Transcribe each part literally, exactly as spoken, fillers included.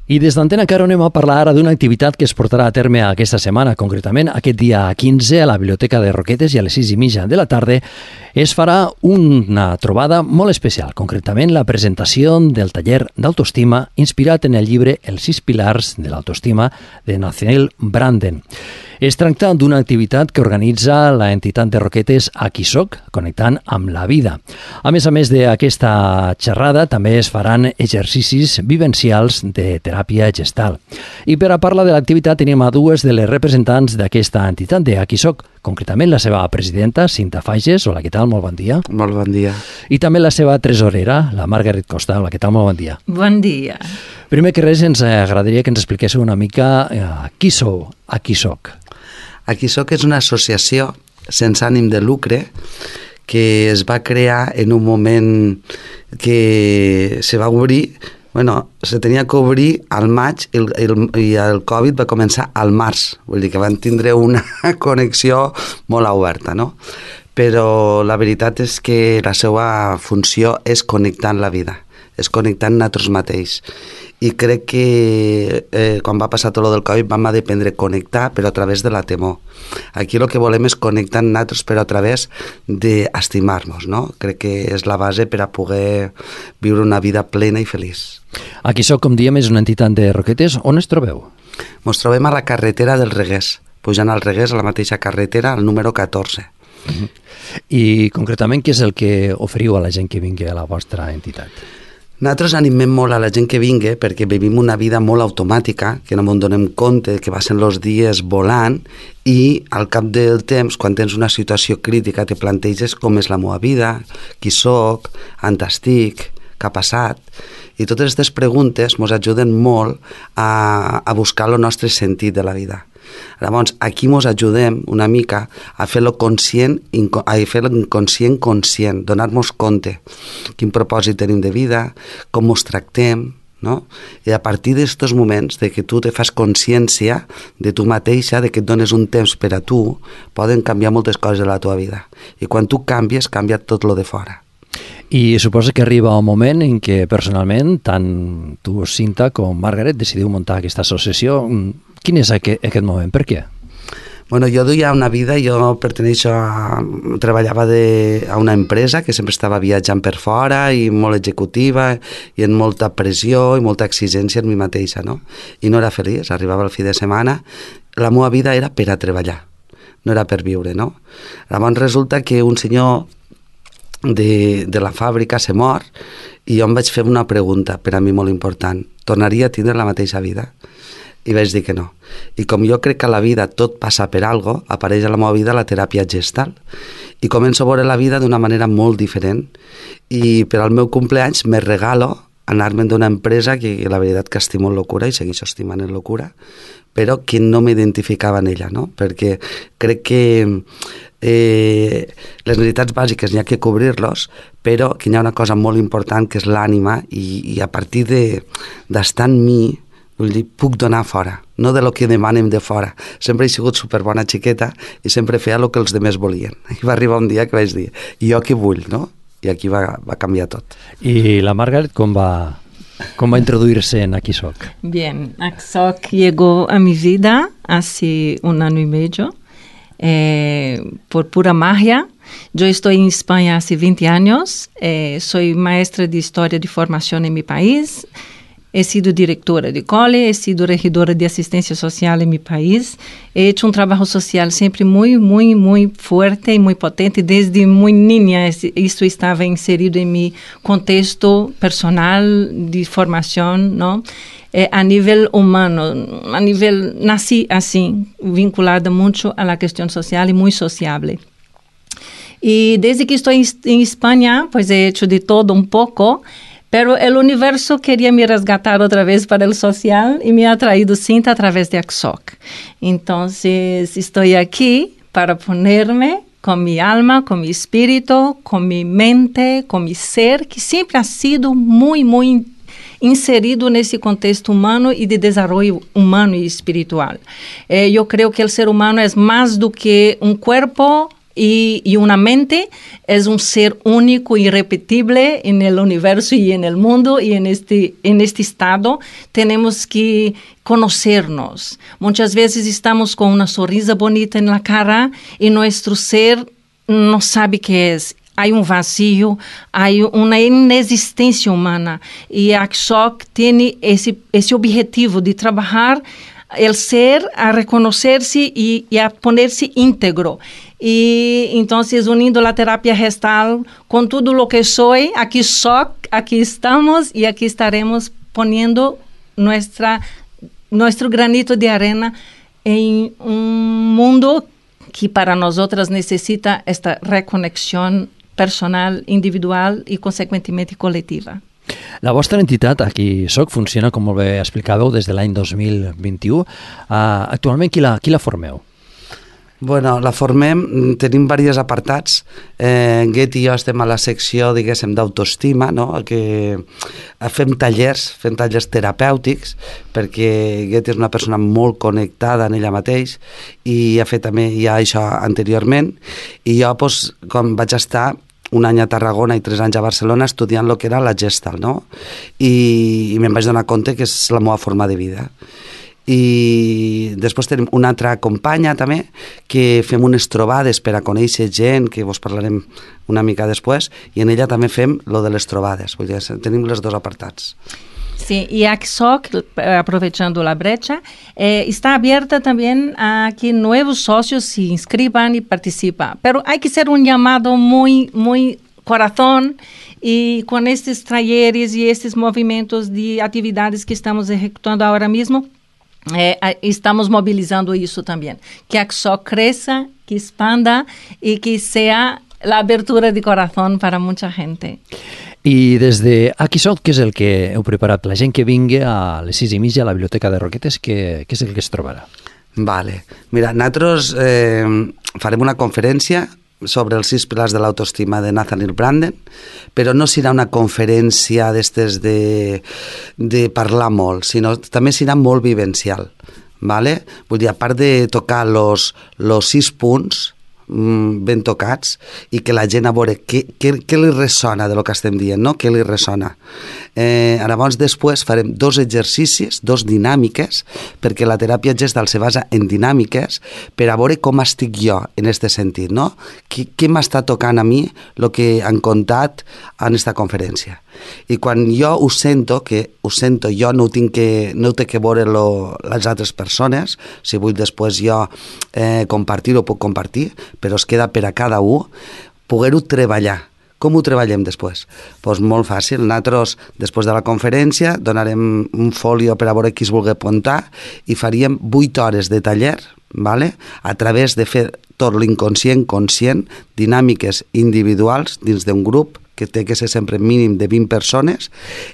I des d'Antena Caro anem a parlar ara d'una activitat que es portarà a terme aquesta setmana, concretament aquest dia quinze a la Biblioteca de Roquetes i a les sis i mitja de la tarda es farà una trobada molt especial, concretament la presentació del taller d'autoestima inspirat en el llibre Els sis pilars de l'autoestima de Nathaniel Branden. Es tracta d'una activitat que organitza la entitat de Roquetes Aquí Soc, connectant amb la vida. A més a més d'aquesta xerrada, també es faran exercicis vivencials de teràpia gestal. I per a parlar de l'activitat tenim a dues de les representants d'aquesta entitat de Aquí Soc, concretament la seva presidenta, Cinta Fages. Hola, què tal? Molt bon dia. Molt bon dia. I també la seva tresorera, la Margaret Costa. Hola, què tal? Molt bon dia. Bon dia. Primer que res, ens agradaria que ens expliquéssiu una mica eh, qui sou, Aquí Soc. Aquí Soc és una associació sense ànim de lucre que es va crear en un moment que se va obrir, bueno, se tenia que obrir al maig i el, el, i el Covid va començar al març, vull dir que van tindre una connexió molt oberta, no? Però la veritat és que la seva funció és connectar amb la vida, és connectar amb nosaltres mateixos. I crec que eh, quan va passar tot el del Covid vam aprendre a connectar però a través de la temor. Aquí el que volem és connectar amb nosaltres però a través d'estimar-nos, no? Crec que és la base per a poder viure una vida plena i feliç. Aquí Soc, com diem, és una entitat de Roquetes. On es trobeu? Ens trobem a la carretera del Reguers, pujant al Reguers, a la mateixa carretera, al número catorze. Uh-huh. I concretament què és el que oferiu a la gent que vingui a la vostra entitat? Nosaltres animem molt a la gent que vingui perquè vivim una vida molt automàtica, que no ens donem compte que passen els dies volant i al cap del temps, quan tens una situació crítica, te planteges com és la meva vida, qui soc, on estic, què ha passat. I totes aquestes preguntes ens ajuden molt a, a buscar el nostre sentit de la vida. Llavors, aquí ens ajudem una mica a fer-lo conscient, a fer l'inconscient conscient, donar-nos compte quin propòsit tenim de vida, com ens tractem, no? I a partir d'aquests moments de que tu te fas consciència de tu mateixa, de que et dones un temps per a tu, poden canviar moltes coses de la teva vida. I quan tu canvies, canvia tot lo de fora. I suposa que arriba un moment en què personalment tant tu, Cinta, com Margaret decidiu muntar aquesta associació. Quin és aquest, aquest moment? Per què? Bueno, jo duia una vida, jo perteneixo a... treballava de, a una empresa que sempre estava viatjant per fora i molt executiva i en molta pressió i molta exigència en mi mateixa, no? I no era feliç, arribava el fi de setmana, la meva vida era per a treballar, no era per viure, no? Llavors resulta que un senyor de, de la fàbrica se mor i jo em vaig fer una pregunta per a mi molt important: tornaria a tindre la mateixa vida? I vaig dir que no. I com jo crec que a la vida tot passa per algo, apareix a la meva vida la teràpia gestal. I començo a veure la vida d'una manera molt diferent. I per al meu cumpleaños me regalo anar-me'n d'una empresa que la veritat que estimo en locura i segueixo estimant en locura, però que no m'identificava en ella, no? Perquè crec que eh, les necessitats bàsiques n'hi ha que cobrir-los, però que hi ha una cosa molt important que és l'ànima i, i a partir d'estar en mi, vull dir, puc donar fora, no de lo que demanem de fora. Sempre he sigut superbona xiqueta i sempre feia el que els demés volien. I va arribar un dia que vaig dir, i jo què vull, no? I aquí va, va canviar tot. I la Margaret com va, com va introduirse en Aquí Soc? Bien, Aquí Soc llegó a mi vida hace un año y medio, eh, por pura magia. Yo estoy en España hace veinte años, eh, soy maestra de historia de formación en mi país. He sido directora de cole, he sido regidora de asistencia social en mi país. He hecho un trabajo social siempre muy, muy, muy fuerte y muy potente. Desde muy niña, esto estaba inserido en mi contexto personal de formación, ¿no? Eh, a nivel humano, a nivel, nací así, vinculada mucho a la cuestión social y muy sociable. Y desde que estoy en España, pues he hecho de todo un poco. Pero el universo quería me resgatar otra vez para el social y me ha traído Cinta a través de Aquí Soc. Entonces estoy aquí para ponerme con mi alma, con mi espíritu, con mi mente, con mi ser, que siempre ha sido muy, muy inserido nesse contexto humano e de desenvolvimento humano e espiritual. Eh, eu creio que o ser humano é mais do que um corpo Y, y una mente es un ser único, irrepetible en el universo y en el mundo, y en este, en este estado tenemos que conocernos. Muchas veces estamos con una sonrisa bonita en la cara y nuestro ser no sabe qué es. Hay un vacío, hay una inexistencia humana, y Aksok tiene ese, ese objetivo de trabajar el ser a reconocerse y, y a ponerse íntegro. Y entonces, uniendo la terapia gestal con todo lo que soy, aquí soy, aquí estamos y aquí estaremos poniendo nuestra, nuestro granito de arena en un mundo que para nosotras necesita esta reconexión personal, individual i, conseqüentemente, col·lectiva. La vostra entitat, Aquí Soc, funciona, com molt bé explicàveu, des de l'any dos mil vint-i-u. Uh, actualment, qui la, qui la formeu? Bueno, la formem, tenim diversos apartats. Eh, Get i jo estem a la secció, diguéssim, d'autoestima, no? Que fem tallers, fem tallers terapèutics, perquè Get és una persona molt connectada en ella mateix i ha fet també ja això anteriorment. I jo, doncs, com vaig estar un any a Tarragona i tres anys a Barcelona estudiant el que era la Gestalt, no? I, i me'n vaig donar compte que és la meva forma de vida. I després tenim una altra companya també, que fem unes trobades per a conèixer gent, que vos parlarem una mica després, i en ella també fem lo de les trobades. Vull dir, tenim els dos apartats. Sí, y Aksok, aprovechando la brecha, eh, está abierta también a que nuevos socios se inscriban y participen. Pero hay que hacer un llamado muy, muy corazón, y con estos talleres y estos movimientos de actividades que estamos ejecutando ahora mismo, eh, estamos movilizando eso también. Que Aksok crezca, que expanda y que sea la abertura de corazón para mucha gente. I des de Aquí Soc, què és el que heu preparat? La gent que vingui a les sis i mitja a la Biblioteca de Roquetes, què, què és el que es trobarà? Vale. Mira, nosaltres eh, farem una conferència sobre els sis pilars de l'autoestima de Nathaniel Branden, però no serà una conferència d'estes de, de parlar molt, sinó també serà molt vivencial. Vale? Vull dir, a part de tocar los, los sis punts ben tocats, i que la gent a veure què, què, què li ressona de lo que estem dient, no? Què li ressona. Eh, llavors, després farem dos exercicis, dos dinàmiques, perquè la teràpia gestal se basa en dinàmiques per a veure com estic jo en aquest sentit, no? Què, què m'està tocant a mi el que han contat en aquesta conferència. I quan jo ho sento, que ho sento jo, no ho tinc que, no ho té que veure lo, les altres persones, si vull després jo eh, compartir-ho, puc compartir, però es queda per a cada un, poder-ho treballar. Com ho treballem després? Doncs pues molt fàcil. Nosaltres, després de la conferència, donarem un folio per a veure qui es vulgui apuntar i faríem vuit hores de taller, vale? A través de fer tot l'inconscient conscient, dinàmiques individuals dins d'un grup, que té que ser sempre mínim de vint persones,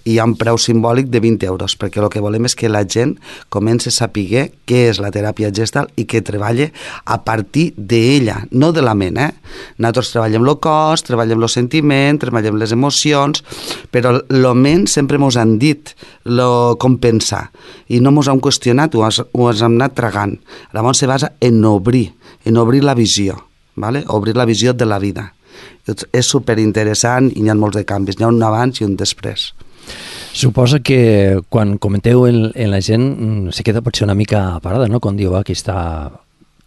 i hi ha un preu simbòlic de vint euros, perquè el que volem és que la gent comenci a saber què és la teràpia gestal i que treballe a partir d'ella, no de la ment, eh? Nosaltres treballem el cos, treballem el sentiment, treballem les emocions, però el ment sempre mos han dit lo, com pensar, i no mos han qüestionat, ho, has, ho has anat tragant. Llavors se basa en obrir, en obrir la visió, ¿vale? Obrir la visió de la vida. És superinteressant i hi ha molts de canvis, hi ha un abans i un després. Suposa que quan comenteu en, en la gent se queda potser una mica parada, no? Quan diu aquesta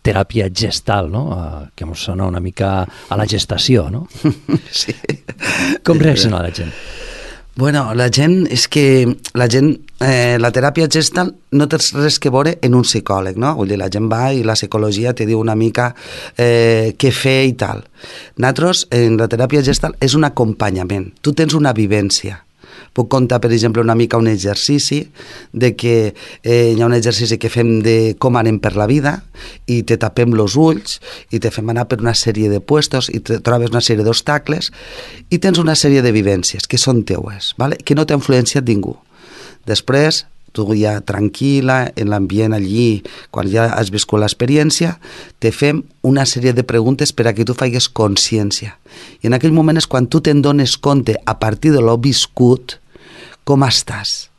teràpia gestal, no? Que ens sona una mica a la gestació, no? Sí. Com reacciona la gent? Bueno, la gent, és que la gent, eh, la teràpia gestal no té res que veure en un psicòleg, no? Vull dir, la gent va i la psicologia te diu una mica eh, què fer i tal. Nosaltres, en la teràpia gestal, és un acompanyament. Tu tens una vivència. Puc contar, per exemple, una mica un exercici de que eh, hi ha un exercici que fem de com anem per la vida i te tapem els ulls i te fem anar per una sèrie de puestos i te trobes una sèrie d'obstacles i tens una sèrie de vivències que són teues, ¿vale? Que no t'ha influenciat ningú. Després, tu ja tranquil·la, en l'ambient allí, quan ja has viscut l'experiència, te fem una sèrie de preguntes per a que tu faigues consciència. I en aquell moment és quan tu te'n dones compte, a partir de l'ho viscut, com estàs.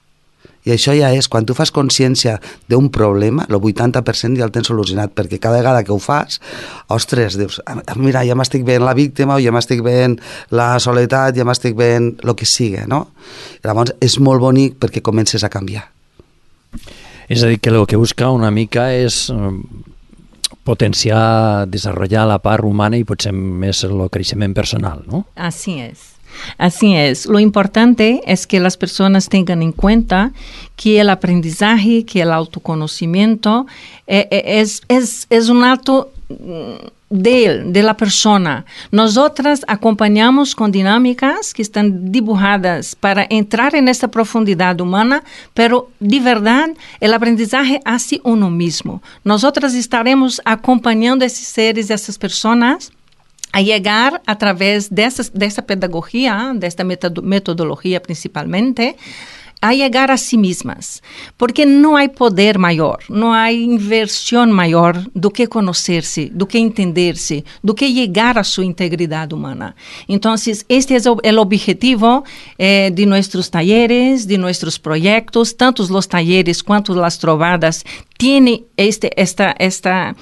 I això ja és, quan tu fas consciència d'un problema, el vuitanta per cent ja el tens solucionat, perquè cada vegada que ho fas, ostres, dius, mira, ja m'estic veient la víctima, o ja m'estic veient la soledat, ja m'estic veient el que sigui, no? Llavors és molt bonic perquè comences a canviar. És a dir, que el que busca una mica és potenciar, desenvolupar la part humana y potser més el creixement personal, ¿no? Así es. Así es. Lo importante es que las personas tengan en cuenta que el aprendizaje, que el autoconocimiento eh, es, es, es un acto de él, de la persona. Nosotras acompañamos con dinámicas que están dibujadas para entrar en esta profundidad humana, pero de verdad el aprendizaje hace uno mismo. Nosotras estaremos acompañando a esos seres, a esas personas, a llegar a través de esa, de esa pedagogía, de esta metodología principalmente, a llegar a sí mismas, porque no hay poder mayor, no hay inversión mayor do que conocerse, do que entenderse, do que llegar a su integridad humana. Entonces, este es el objetivo eh, de nuestros talleres, de nuestros proyectos, tanto los talleres cuanto las trovadas tienen este, esta, esta,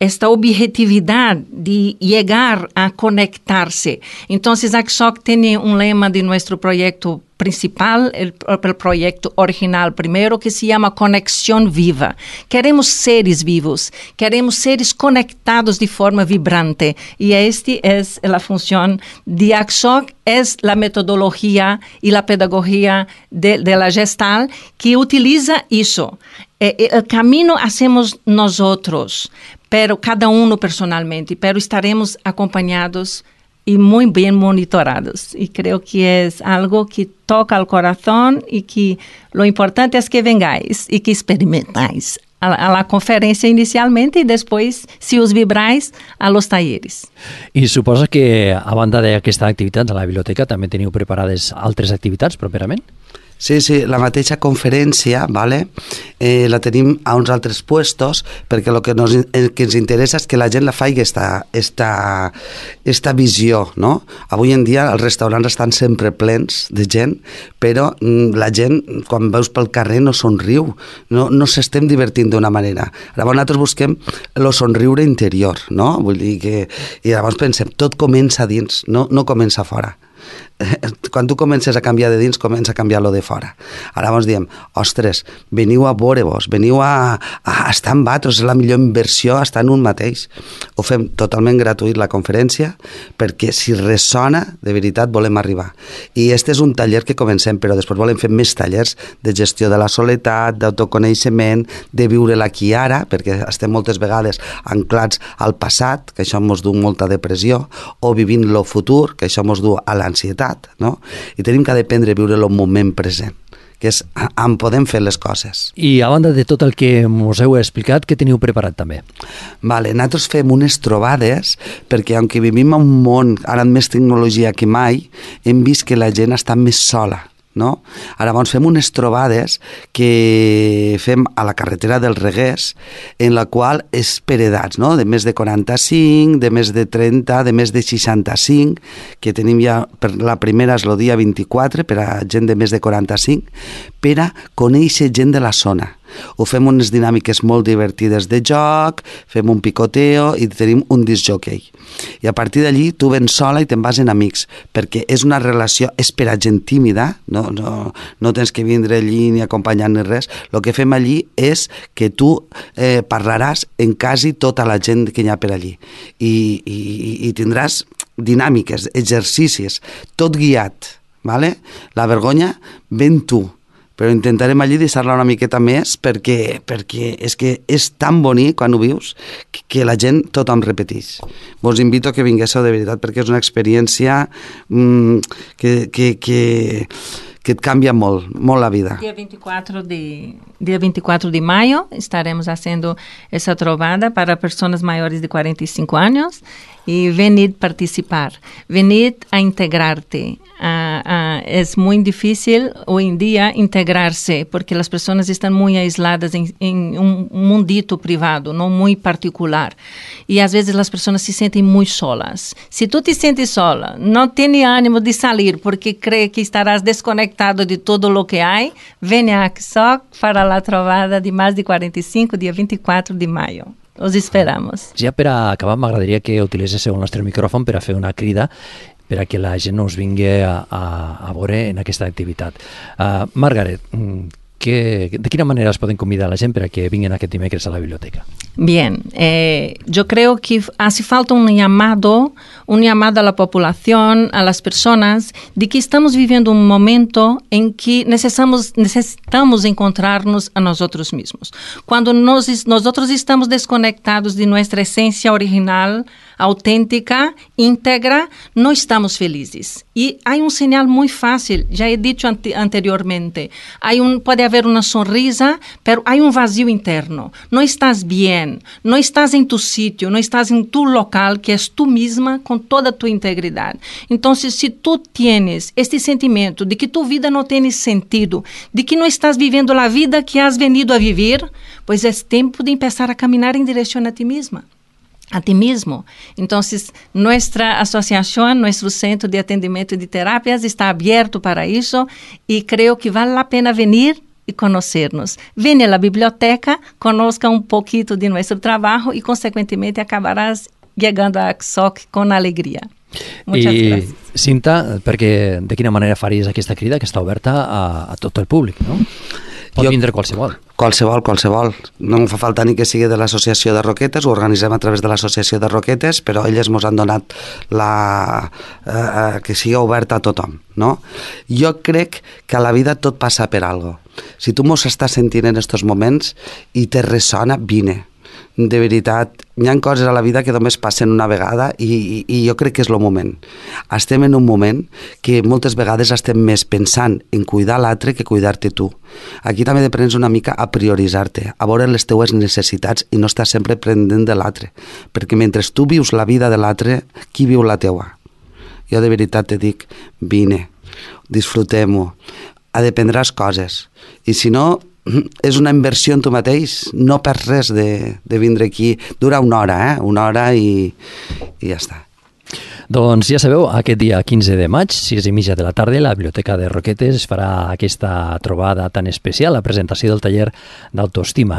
esta objetividad de llegar a conectarse. Entonces, A C S O C tiene un lema de nuestro proyecto principal, el, el proyecto original primero, que se llama Conexión Viva. Queremos seres vivos, queremos seres conectados de forma vibrante. Y esta es la función de A C S O C, es la metodología y la pedagogía de, de la Gestalt que utiliza eso. Eh, el camino hacemos nosotros, pero cada uno personalmente, pero estaremos acompañados y muy bien monitorados. Y creo que es algo que toca al corazón y que lo importante es que vengáis y que experimentáis a, a la conferencia inicialmente y después, si os vibráis, a los talleres. I suposa que, a banda d'aquesta activitat a la biblioteca, també teniu preparades altres activitats properament? Sí, sí, la mateixa conferència, vale? eh, la tenim a uns altres puestos, perquè el que, nos, el que ens interessa és que la gent la faci esta, esta, esta visió, no? Avui en dia els restaurants estan sempre plens de gent, però mm, la gent, quan veus pel carrer, no somriu, no, no s'estem divertint d'una manera. Llavors nosaltres busquem el somriure interior, no? Vull dir que... I llavors pensem, tot comença dins, no, no comença fora. Quan tu comences a canviar de dins, comença a canviar lo de fora. Ara ens diem, ostres, veniu a veure-vos, veniu a, a estar amb altres, és la millor inversió estar en un mateix. Ho fem totalment gratuït la conferència, perquè si ressona, de veritat volem arribar. I este és un taller que comencem, però després volem fer més tallers de gestió de la soledat, d'autoconeixement, de viure l'aquí i ara, perquè estem moltes vegades anclats al passat, que això ens du molta depressió, o vivint lo futur, que això ens du a l'ansietat, no? I tenim que aprendre a viure el moment present, que és on podem fer les coses. I a banda de tot el que us heu explicat, què teniu preparat també? Vale, nosaltres fem unes trobades perquè, aunque vivim en un món ara amb més tecnologia que mai, hem vist que la gent està més sola, no? Ara doncs fem unes trobades que fem a la carretera del Reguers, en la qual és per edats, no? De més de quaranta-cinc, de més de trenta, de més de seixanta-cinc, que tenim ja, per la primera és el dia vint-i-quatre, per a gent de més de quaranta-cinc, per a conèixer gent de la zona. Ho fem unes dinàmiques molt divertides de joc, fem un picoteo i tenim un discjockey. I a partir d'allí tu vens sola i te'n vas en amics, perquè és una relació, és per a gent tímida, no, no, no tens que vindre allí ni acompanyar ni res. El que fem allí és que tu eh, parlaràs en quasi tota la gent que hi ha per allí. I, i, i tindràs dinàmiques, exercicis, tot guiat, vale? La vergonya ven tu, però intentarem allí deixar-la una miqueta més perquè, perquè és que és tan bonic quan ho vius que, que la gent tothom repeteix. Vos invito a que vinguéssiu de veritat perquè és una experiència mmm, que, que, que, que et canvia molt, molt la vida. Dia veinticuatro de, dia veinticuatro de mayo estaremos haciendo essa trovada para pessoas maiores de cuarenta y cinco años y venid a participar, venid a integrarte. Uh, uh, es muy difícil hoy en día integrarse porque las personas están muy aisladas en, en un mundito privado, no muy particular. Y a veces las personas se sienten muy solas. Si tú te sientes sola, no tienes ánimo de salir porque cree que estarás desconectado de todo lo que hay, ven a ACSOC para la trobada de más de cuarenta y cinco, dia vint i quatre de mayo. Os esperamos. Ja per a acabar, m'agradaria que utilitzéssiu el nostre micròfon per a fer una crida per a que la gent us vingui a, a, a veure en aquesta activitat. Uh, Margaret, que, de quina manera es poden convidar a la gent per a que vinguin aquest dimecres a la biblioteca? Bien, eh, yo creo que hace falta un llamado, un llamado a la población, a las personas, de que estamos viviendo un momento en que necesitamos, necesitamos encontrarnos a nosotros mismos. Cuando nos, nosotros estamos desconectados de nuestra esencia original, auténtica, íntegra, no estamos felices. Y hay un señal muy fácil, ya he dicho ante, anteriormente, hay un, puede haber una sonrisa, pero hay un vacío interno. No estás bien, no estás en tu sitio, no estás en tu local, que es tú misma, con toda tu integridad. Entonces, si tú tienes este sentimiento de que tu vida no tiene sentido, de que no estás viviendo la vida que has venido a vivir, pues es tiempo de empezar a caminar en dirección a ti misma. A ti mismo. Entonces, nuestra asociación, nuestro centro de atendimiento de terapias está abierto para eso y creo que vale la pena venir y conocernos. Ven a la biblioteca, conozca un poquito de nuestro trabajo y, consecuentemente, acabarás llegando a ACSOC con alegría. Muchas I, gràcies. Cinta, perquè de quina manera faries aquesta crida que està oberta a, a tot el públic, no? Pot Jo, vindre qualsevol. Qualsevol, qualsevol. No em fa falta ni que sigui de l'associació de Roquetes, ho organitzem a través de l'associació de Roquetes, però elles ens han donat la, eh, que sigui oberta a tothom, no? Jo crec que a la vida tot passa per algo. Si tu mos estàs sentint en estos moments i te ressona, vine. De veritat, hi ha coses a la vida que només passen una vegada i, i, i jo crec que és el moment. Estem en un moment que moltes vegades estem més pensant en cuidar l'altre que cuidar-te tu. Aquí també depens una mica a prioritzar-te, a veure les teues necessitats i no estar sempre pendent de l'altre, perquè mentre tu vius la vida de l'altre, qui viu la teua? Jo de veritat te dic, vine, disfrutem-ho, aprendràs coses, i si no, és una inversió en tu mateix, no perds res de, de vindre aquí. Dura una hora, eh? Una hora i, i ja està. Doncs ja sabeu, aquest dia quinze de maig, sis i mitja de la tarda, la Biblioteca de Roquetes farà aquesta trobada tan especial, la presentació del taller d'autoestima.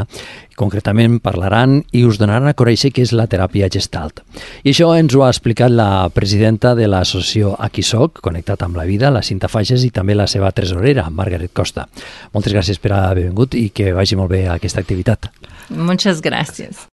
Concretament parlaran i us donaran a conèixer què és la teràpia Gestalt. I això ens ho ha explicat la presidenta de l'associació ACSOC, Connectat amb la Vida, la Cinta Fages, i també la seva tresorera, Margaret Costa. Moltes gràcies per haver vingut i que vagi molt bé aquesta activitat. Muchas gracias.